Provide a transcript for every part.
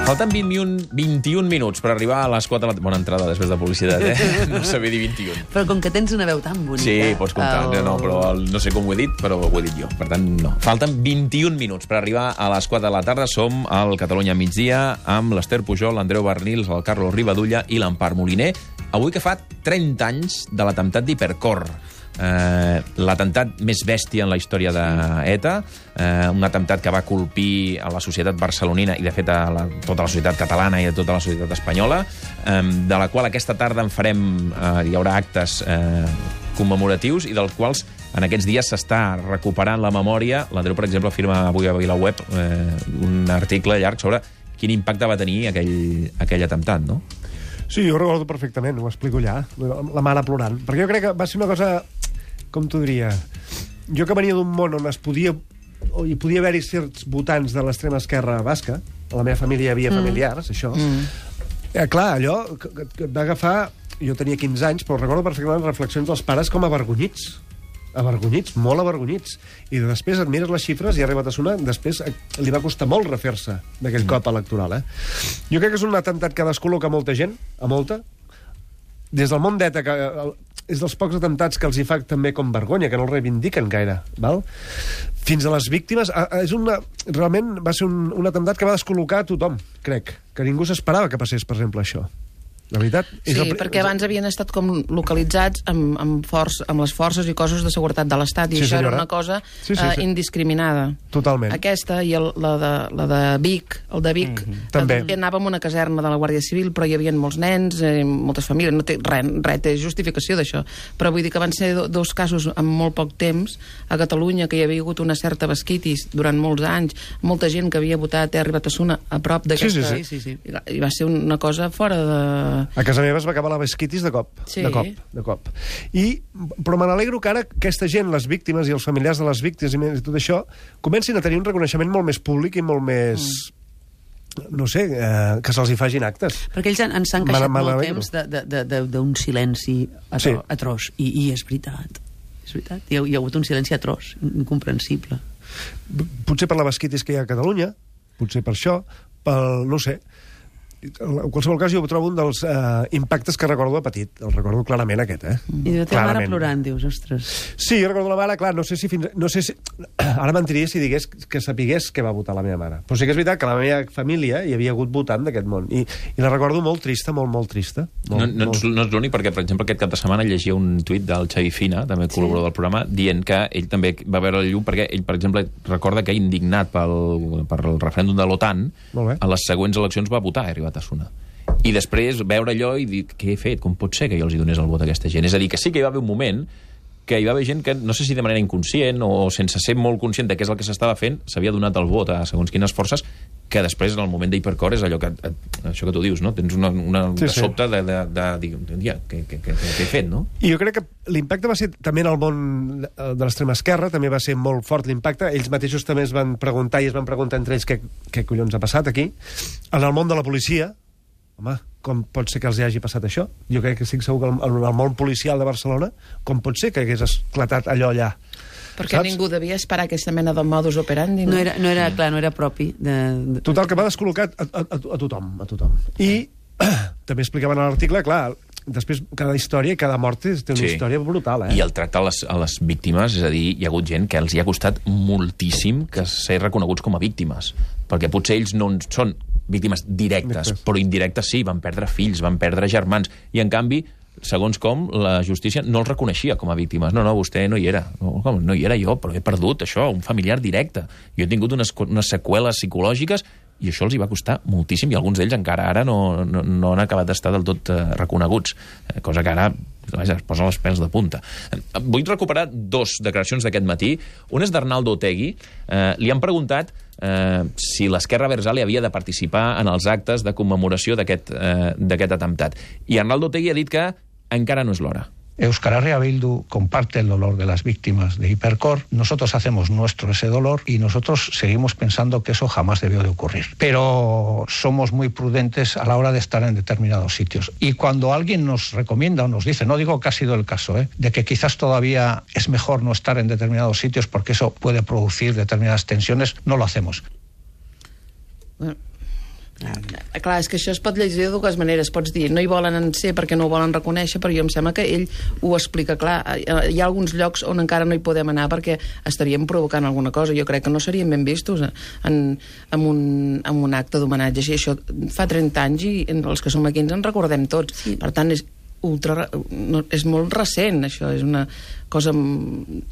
Falten 21 minuts per arribar a les 4 de la... Bona entrada després de publicitat, No sabia dir 21. Però com que tens una veu tan bonica... Sí, pots comptar. No, però no sé com ho he dit, però ho he dit jo. Per tant, no. Falten 21 minuts per arribar a les 4 de la tarda. Som al Catalunya migdia amb l'Ester Pujol, l'Andreu Bernils, el Carlos Rivadulla i l'Empar Moliner. Avui que fa 30 anys de l'atemptat d'Hipercor. L'atemptat més bèstia en la història d'ETA, un atemptat que va colpir a la societat barcelonina i, de fet, a tota la societat catalana i a tota la societat espanyola, de la qual aquesta tarda en farem, hi haurà actes commemoratius i dels quals en aquests dies s'està recuperant la memòria. L'Andreu, per exemple, afirma avui a VilaWeb un article llarg sobre quin impacte va tenir aquell atemptat, no? Sí, jo ho recordo perfectament, ho explico allà, la mare plorant. Perquè jo crec que va ser una cosa, com t'ho diria, jo que venia d'un món on hi podia haver-hi certs votants de l'extrema esquerra basca, a la meva família hi havia familiars, això. Clar, allò que va agafar... Jo tenia 15 anys, però recordo perfectament les reflexions dels pares com avergonyits, molt avergonyits. I després et mires les xifres i ha arribat a sonar, després li va costar molt refer-se d'aquell cop electoral, Jo crec que és un atemptat que descol·loca molta gent, a molta. Des del món d'ETA, que és dels pocs atemptats que els hi fa també com vergonya, que no el reivindiquen gaire, val? Fins a les víctimes. Realment va ser un atemptat que va descol·locar a tothom, crec. Que ningú s'esperava que passés, per exemple, això. La veritat... Sí, perquè abans havien estat com localitzats amb les forces i coses de seguretat de l'Estat, i això era una cosa indiscriminada. Totalment. Aquesta i la de Vic, també anava en una caserna de la Guàrdia Civil, però hi havia molts nens, moltes famílies, no té res té justificació d'això. Però vull dir que van ser dos casos en molt poc temps a Catalunya, que hi havia hagut una certa basquitis durant molts anys, molta gent que havia votat Terri Batasuna a prop d'aquesta... Sí. I va ser una cosa fora de... A casa meva es va acabar la basquitis de cop. Sí. De cop. Però me n'alegro que ara aquesta gent, les víctimes i els familiars de les víctimes i tot això, comencin a tenir un reconeixement molt més públic i molt més... no sé, que se'ls hi facin actes. Perquè ells ens han queixat molt temps d'un silenci atroç. I és veritat. Hi ha hagut un silenci atroç, incomprensible. Potser per la basquitis que hi ha a Catalunya, potser per això, no sé... En qualsevol cas, jo trobo un dels impactes que recordo de petit. El recordo clarament, aquest, I la teva mare plorant, dius, ostres. Sí, jo recordo la mare, clar, no sé si... Ara mentiria si digués que sapigués què va votar la meva mare. Però sí que és veritat que a la meva família hi havia hagut votant d'aquest món. I la recordo molt trista, molt trista. No és l'únic, perquè, per exemple, aquest cap de setmana llegia un tuit del Xavi Fina, també col·laborador del programa, dient que ell també va veure el llum, perquè ell, per exemple, recorda que indignat pel referèndum de l'OTAN, a les següents eleccions va votar, a Batasuna. I després veure allò i dir, què he fet? Com pot ser que jo els hi donés el vot a aquesta gent? És a dir, que sí que hi va haver un moment que hi va haver gent que, no sé si de manera inconscient o sense ser molt conscient de què és el que s'estava fent, s'havia donat el vot a segons quines forces, que després, en el moment d'Hipercor, és allò que això que tu dius, no? Tens de sobte de dir, què he fet, no? I jo crec que l'impacte va ser també en el món de l'extrema esquerra, també va ser molt fort l'impacte. Ells mateixos també es van preguntar i es van preguntar entre ells què collons ha passat aquí. En el món de la policia, home, com pot ser que els hi hagi passat això? Jo crec que estic segur que en el món policial de Barcelona, com pot ser que hagués esclatat allò allà? Perquè ningú devia esperar aquesta mena de modus operandi. No era propi. Total, que va descol·locar a tothom. I també explicaven a l'article, clar, després cada història i cada mort té una història brutal, I el tracte a les víctimes, és a dir, hi ha hagut gent que els hi ha costat moltíssim que ser reconeguts com a víctimes, perquè potser ells no són víctimes directes, però indirectes sí, van perdre fills, van perdre germans, i en canvi, segons com, la justícia no els reconeixia com a víctimes. No, vostè no hi era. No hi era jo, però he perdut això, un familiar directe. Jo he tingut unes seqüeles psicològiques i això els hi va costar moltíssim, i alguns d'ells encara ara no han acabat d'estar del tot reconeguts, cosa que ara es posen els pèls de punta. Vull recuperar 2 declaracions d'aquest matí. Una és d'Arnaldo Otegi. Li han preguntat si l'esquerra abertzale havia de participar en els actes de commemoració d'aquest atemptat. I Arnaldo Otegi ha dit que encara no és l'hora. Euskal Herria Bildu comparte el dolor de las víctimas de Hipercor. Nosotros hacemos nuestro ese dolor y nosotros seguimos pensando que eso jamás debió de ocurrir. Pero somos muy prudentes a la hora de estar en determinados sitios. Y cuando alguien nos recomienda o nos dice, no digo que ha sido el caso, de que quizás todavía es mejor no estar en determinados sitios porque eso puede producir determinadas tensiones, no lo hacemos. Bueno, Clar, és que això es pot llegir de dues maneres. Pots dir, no hi volen ser perquè no ho volen reconèixer, però jo em sembla que ell ho explica clar. Hi ha alguns llocs on encara no hi podem anar perquè estaríem provocant alguna cosa. Jo crec que no seríem ben vistos en un acte d'homenatge. Això fa 30 anys i els que som aquí ens en recordem tots. Sí. Per tant, és molt recent, això. És una cosa...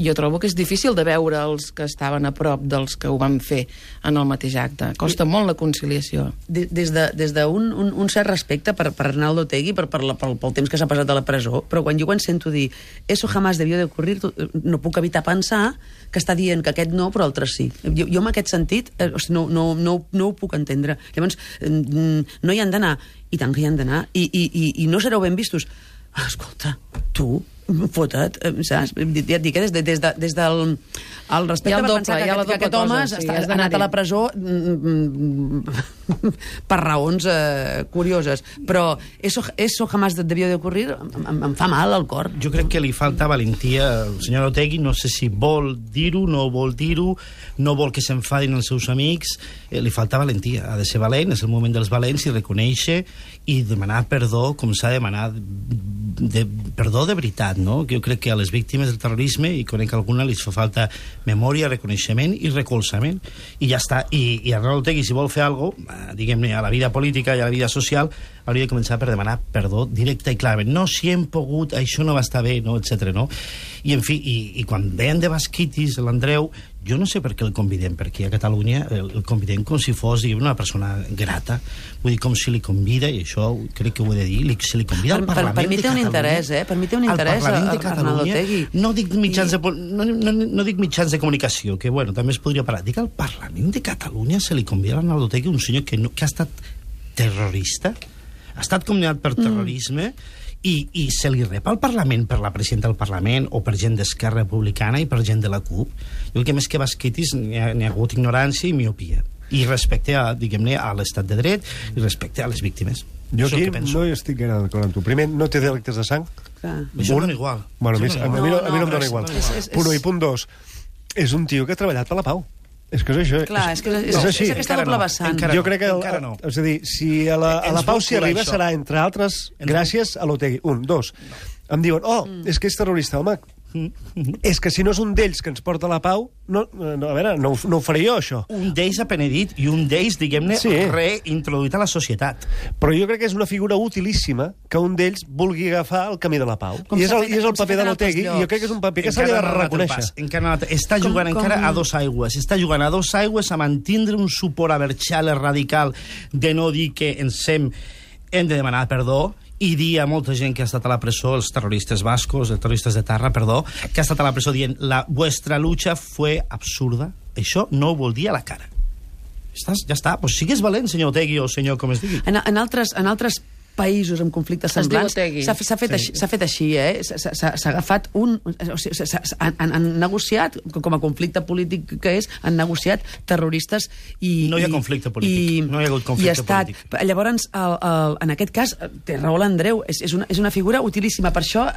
Jo trobo que és difícil de veure els que estaven a prop dels que ho van fer en el mateix acte. Costa molt la conciliació. Des d'un cert respecte per Arnaldo Otegi, pel temps que s'ha passat a la presó, però quan jo sento dir eso jamás debió de ocurrir, no puc evitar pensar que està dient que aquest no, però altres sí. Jo en aquest sentit no ho puc entendre. Llavors, no hi han d'anar, i tant que hi han d'anar, i no sereu ben vistos. Escolta, tu, fota't, saps? Ja et dic, des del respecte per pensar que aquest home ha anat a la presó per raons curioses. Però eso jamás debió de ocurrir, em fa mal al cor. Jo crec que li falta valentia al senyor Otegi, no sé si vol dir-ho, no vol dir-ho, no vol que s'enfadin els seus amics, li falta valentia, ha de ser valent, és el moment dels valents, i reconèixer i demanar perdó com s'ha de demanar perdó de veritat, no? Jo crec que a les víctimes del terrorisme, i conec alguna, li fa falta memòria, reconeixement i recolzament, i ja està. I Arnaldo Otegi, si vol fer alguna cosa, diguem-ne, a la vida política i a la vida social, hauria de començar per demanar perdó directe i clarament. No, si hem pogut, això no va estar bé, no, etc. no? I, en fi, i quan veien de Basquitis, l'Andreu, jo no sé per què el convidem, perquè a Catalunya el convidem com si fos una persona grata, vull dir, com si li convida, i això crec que ho he de dir, se li convida al Parlament de Catalunya. Per mi té un interès, Per mi té un interès a Arnaldo Otegi. No dic mitjans de comunicació, que bueno, també es podria parlar. Dic al Parlament de Catalunya se li convida a Arnaldo Otegi, un senyor que ha estat terrorista, ha estat condemnat per terrorisme, i se li rep al Parlament per la presidenta del Parlament o per gent d'Esquerra Republicana i per gent de la CUP. Jo crec que més que Basquitis n'hi ha hagut ignorància i miopia. I respecte a, diguem-ne, a l'estat de dret i respecte a les víctimes. Jo aquí no hi estic gaire d'acord amb tu. Primer, no té delictes de sang. Això em dona igual. Bueno, a mi no em dona igual. Punt 1 i punt 2. És un tio que ha treballat per la pau. És que és això. Clar, és aquesta doble vessant. Jo crec que, és a dir, si a la pau s'hi arriba serà, entre altres, gràcies a l'Otegi. 1, 2. Em diuen, és que és terrorista, home. És que si no és un d'ells que ens porta a la pau, a veure, no ho faré jo, això. Un d'ells apenedit i un d'ells, diguem-ne, reintroduït a la societat. Però jo crec que és una figura utilíssima que un d'ells vulgui agafar el camí de la pau. I és el paper de l'Otegi, i jo crec que és un paper que s'ha de reconèixer. Està jugant encara a dos aigües. Està jugant a dos aigües a mantindre un suport aberxal radical de no dir que hem de demanar perdó, i dir a molta gent que ha estat a la presó, els terroristes bascos, els terroristes de Tarra, perdó, que ha estat a la presó dient la vuestra lucha fue absurda. Això no ho vol dir a la cara. Ja està, doncs sigues valent, senyor Otegi o senyor com es digui. En altres països amb conflictes semblants s'ha fet així, s'ha agafat han negociat, com a conflicte polític que és, han negociat terroristes i... No hi ha conflicte polític, no hi ha hagut conflicte polític. Llavors, en aquest cas, té raó l'Andreu, és una figura utilíssima, per això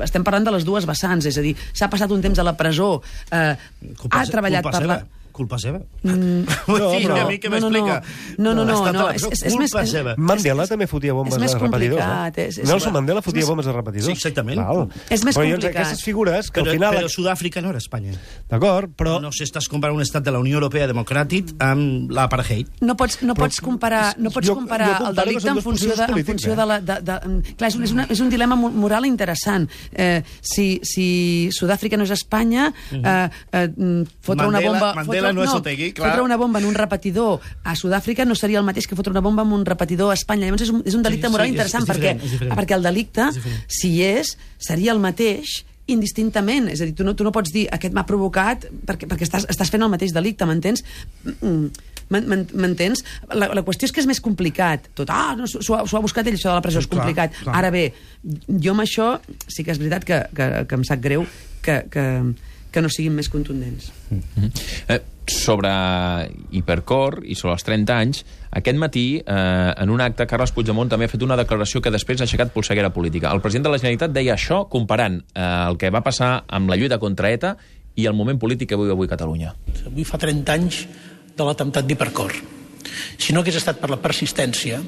estem parlant de les dues vessants, és a dir, s'ha passat un temps a la presó, ha treballat per la... Culpa seva. A mi què m'explica? No. Culpa seva. Mandela també fotia bombes a repetidors. Nelson Mandela fotia bombes a repetidors. Sí, exactament. És més complicat. Aquestes figures que al final... Però Sud-àfrica no era Espanya. D'acord, però... No s'estàs comparant un estat de la Unió Europea democràtic amb l'apartheid. No pots comparar el delicte en funció de la... Clar, és un dilema moral interessant. Si Sud-àfrica no és Espanya, fotre una bomba... Fotre una bomba en un repetidor a Sud-àfrica no seria el mateix que fotre una bomba en un repetidor a Espanya. Llavors és un delicte moral interessant, perquè el delicte, si seria el mateix indistintament. És a dir, tu no pots dir aquest m'ha provocat perquè estàs fent el mateix delicte, m'entens? M'entens? La qüestió és que és més complicat. S'ho ha buscat ell, això de la presó, és complicat. Ara bé, jo amb això sí que és veritat que em sap greu que no siguin més contundents. Sobre Hipercor i sobre els 30 anys, aquest matí, en un acte, Carles Puigdemont també ha fet una declaració que després ha aixecat polseguera política. El president de la Generalitat deia això comparant el que va passar amb la lluita contra ETA i el moment polític que viu avui Catalunya. Avui fa 30 anys de l'atemptat d'Hipercor. Si no hagués estat per la persistència,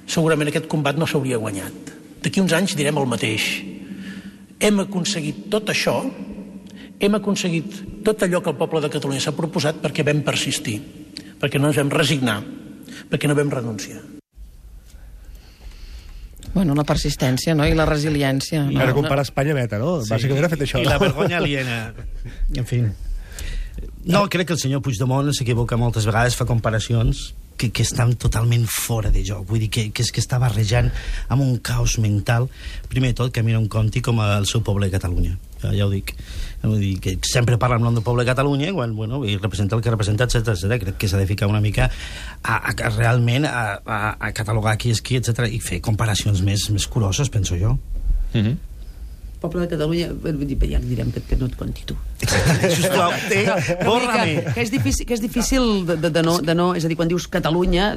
segurament aquest combat no s'hauria guanyat. D'aquí uns anys direm el mateix. Hem aconseguit tot això, hem aconseguit tot allò que el poble de Catalunya s'ha proposat perquè vam persistir, perquè no ens vam resignar, perquè no vam renunciar. Bueno, la persistència, no?, i la resiliència. Ara compara Espanya meta, no? Sí. Bàsicament ha fet això. I la vergonya aliena. En fi. No, crec que el senyor Puigdemont s'equivoca moltes vegades, fa comparacions que estan totalment fora de joc. Vull dir que és que està barrejant amb un caos mental. Primer de tot, que a mi no em compti com el seu poble de Catalunya. Ja ho dic. Vull dir que sempre parla amb nom del poble de Catalunya quan, bueno, i representa el que representa, etc. Crec que s'ha de ficar una mica realment a catalogar qui és qui, etc. i fer comparacions més curoses, penso jo. Poble de Catalunya, ja direm que no et conti tu. Exactament, sisplau, borra-me. Que és difícil de no... És a dir, quan dius Catalunya,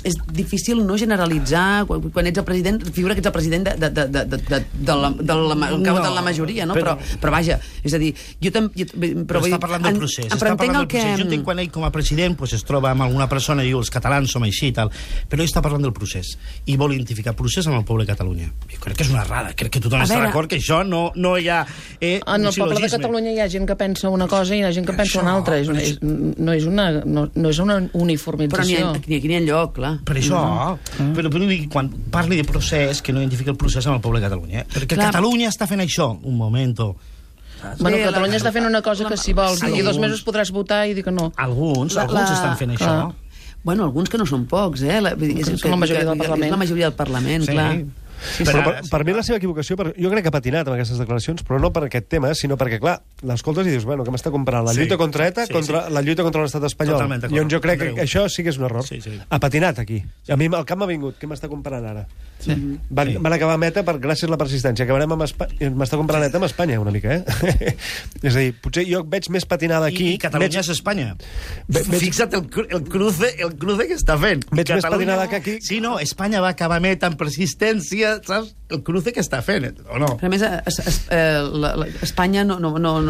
és difícil no generalitzar, quan ets el president, figura que ets el president de la majoria, no? Però vaja, és a dir, jo també... Però està parlant del procés. Jo entenc quan ell com a president es troba amb alguna persona i diu els catalans som així i tal, però ell està parlant del procés i vol identificar el procés amb el poble de Catalunya. Jo crec que és una errada, crec que tothom està d'acord que això no hi ha... En el poble de Catalunya hi ha gent que pensa una cosa i hi ha gent que pensa una altra. No és una uniformització. Però aquí n'hi ha lloc, clar. Per això, però quan parli de procés, que no identifica el procés amb el poble de Catalunya. Perquè Catalunya està fent això. Un moment. Bueno, Catalunya està fent una cosa que si vols, d'aquí 2 mesos podràs votar i dir que no. Alguns estan fent això. Bueno, alguns que no són pocs, eh? És la majoria del Parlament. És la majoria del Parlament, clar. Però per mi la seva equivocació, jo crec que ha patinat amb aquestes declaracions, però no per aquest tema, sinó perquè, clar, l'escoltes i dius, bueno, què m'està comparant? La lluita contra ETA contra la lluita contra l'estat espanyol. I on jo crec que això sí que és un error. Ha patinat aquí. A mi el cap m'ha vingut. Què m'està comparant ara? Van acabar amb ETA gràcies a la persistència. Acabarem amb Espanya. M'està comparant ETA amb Espanya, una mica, eh? És a dir, potser jo veig més patinada aquí... I Catalunya és Espanya. Fixa't el cruce que està fent. Veig més patinada que aquí... Sí, no, Espanya va acabar amb ETA amb persistència, saps? El cruce que està fent, o no? Però a més, Espanya no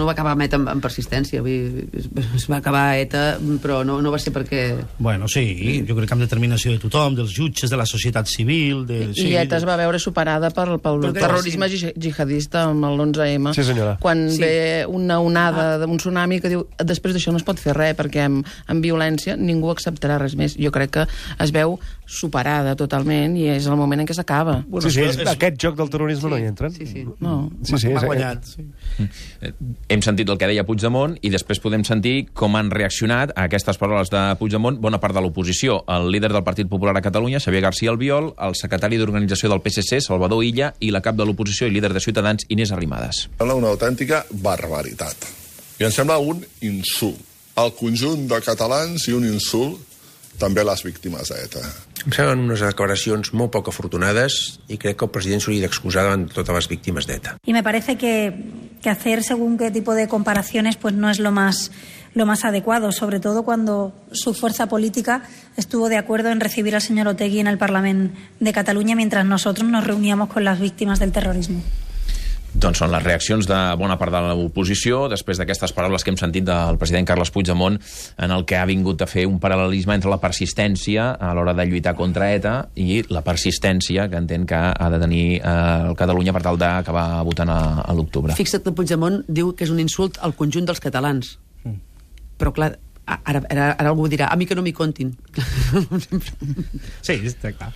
va acabar amb ETA amb persistència. Es va acabar ETA, però no va ser perquè... Bueno, sí, jo crec que amb determinació de tothom, dels jutges, de la societat civil... I ETA es va veure superada pel terrorisme jihadista amb l'11M. Sí, senyora. Quan ve una onada d'un tsunami que diu després d'això no es pot fer res, perquè amb violència ningú acceptarà res més. Jo crec que es veu superada totalment i és el moment en què s'acaba. Sí, aquest joc del terrorisme no hi entren. M'ha guanyat. Hem sentit el que deia Puigdemont i després podem sentir com han reaccionat a aquestes paraules de Puigdemont bona part de l'oposició. El líder del Partit Popular a Catalunya, Xavier García Albiol, el secretari d'organització del PSC, Salvador Illa, i la cap de l'oposició i líder de Ciutadans, Inés Arrimadas. Sembla una autèntica barbaritat. I em sembla un insult al conjunt de catalans i un insult també a les víctimes d'ETA. Em semblen unes declaracions molt poc afortunades i crec que el president s'hauria d'excusar davant de totes les víctimes d'ETA. Y me parece que hacer según qué tipo de comparaciones pues no es lo más adecuado, sobre todo cuando su fuerza política estuvo de acuerdo en recibir al señor Otegi en el Parlamento de Cataluña mientras nosotros nos reuníamos con las víctimas del terrorismo. Doncs són les reaccions de bona part de l'oposició després d'aquestes paraules que hem sentit del president Carles Puigdemont, en el que ha vingut a fer un paral·lelisme entre la persistència a l'hora de lluitar contra ETA i la persistència que entén que ha de tenir Catalunya per tal d'acabar votant a l'octubre. Fixa't que Puigdemont diu que és un insult al conjunt dels catalans. Però clar, ara algú dirà, a mi que no m'hi contin. Sí, està clar.